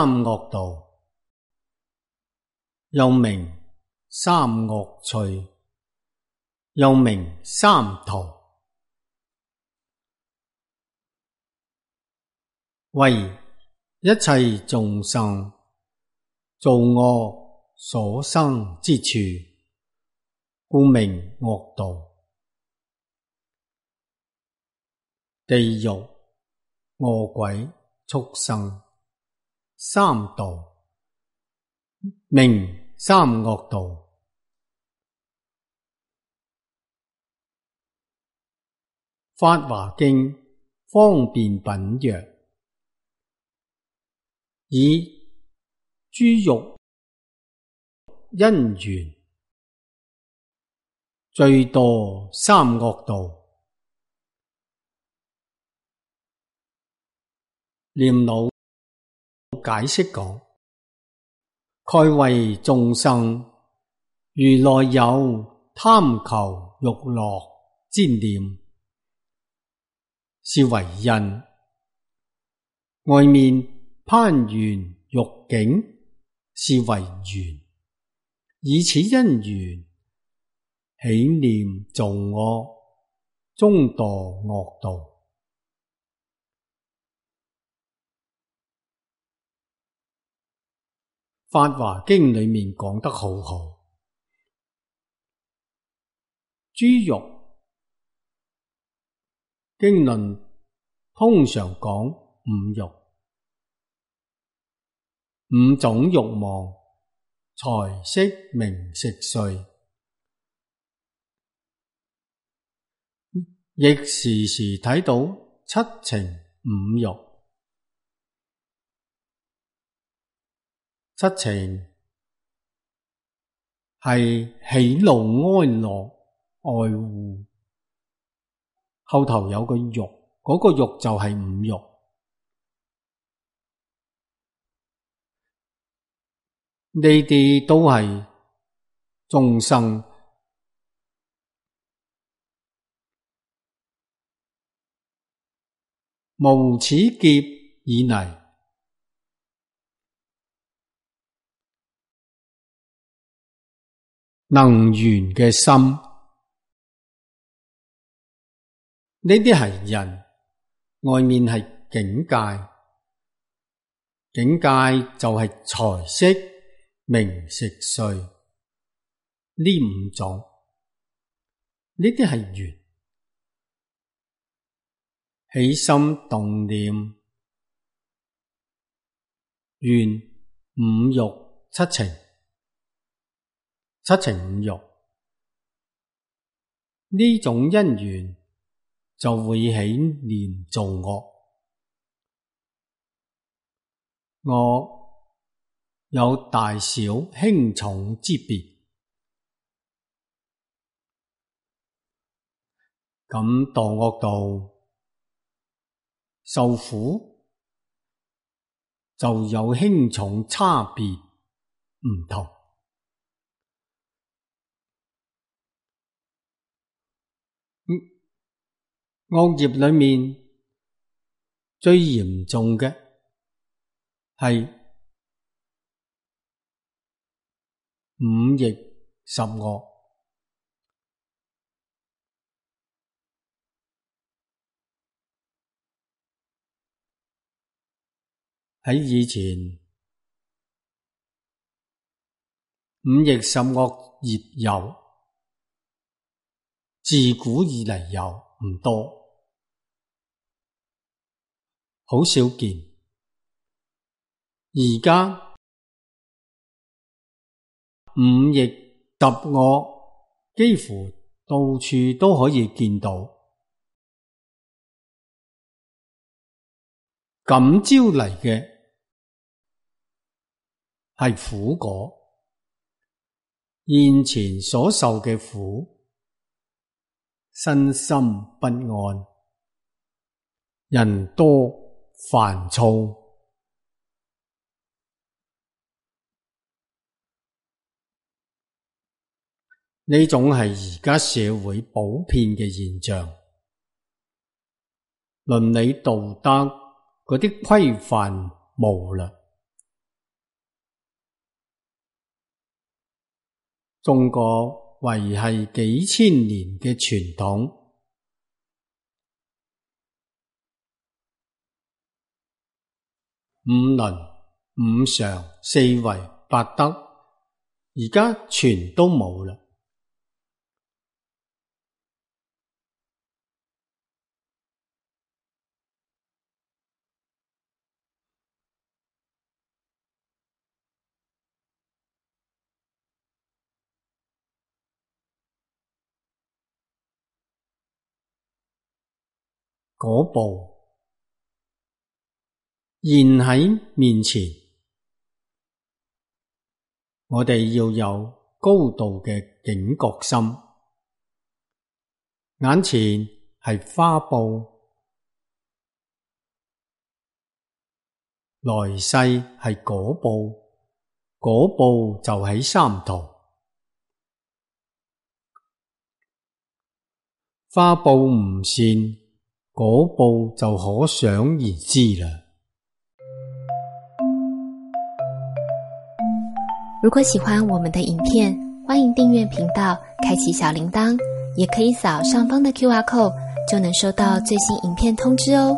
三惡道，又名三惡趣，又名三途，為一切眾生造惡所生之處，故名惡道。地獄、餓鬼、畜生三道，名三惡道。法華經方便品曰：以諸欲因緣，罪墮三惡道。念老解釋講，蓋為眾生如內有貪求欲樂之念，是為因；外面攀緣欲境，是為緣。以此因緣起念造惡，終墮惡道。法華經裏面講得好好，諸欲經論通常講五欲，五種欲望：財色名食睡，亦時時睇到七情五欲。七情係喜怒哀樂愛惡，後頭有個欲，嗰個欲就係五欲。呢啲都係眾生無始劫以嚟能緣嘅心，呢啲係人，外面係境界，境界就係財色名食睡呢五種，呢啲係緣。起心動念，緣五欲七情，七情五欲，呢種因緣就會起念造惡。惡有大小輕重之別，咁墮惡道受苦就有輕重差別唔同。惡業裏面最嚴重嘅係五逆十惡。喺以前，五逆十惡業有，自古以嚟有，唔多，好少見。而家五逆十惡幾乎到處都可以見到，感招嚟嘅係苦果，現前所受嘅苦，身心不安，人多煩躁，呢種係而家社會普遍嘅現象。倫理道德嗰啲規範無嘞，中國維繫幾千年嘅傳統。五倫、五常、四維、八德，而家全都冇啦。嗰部現喺面前，我哋要有高度嘅警覺心。眼前係花布，來世係果報，果報就喺三途。花布唔善，果報就可想而知啦。如果喜歡我們的影片，歡迎訂閱頻道，開啟小鈴鐺，也可以掃上方的QR code，就能收到最新影片通知哦。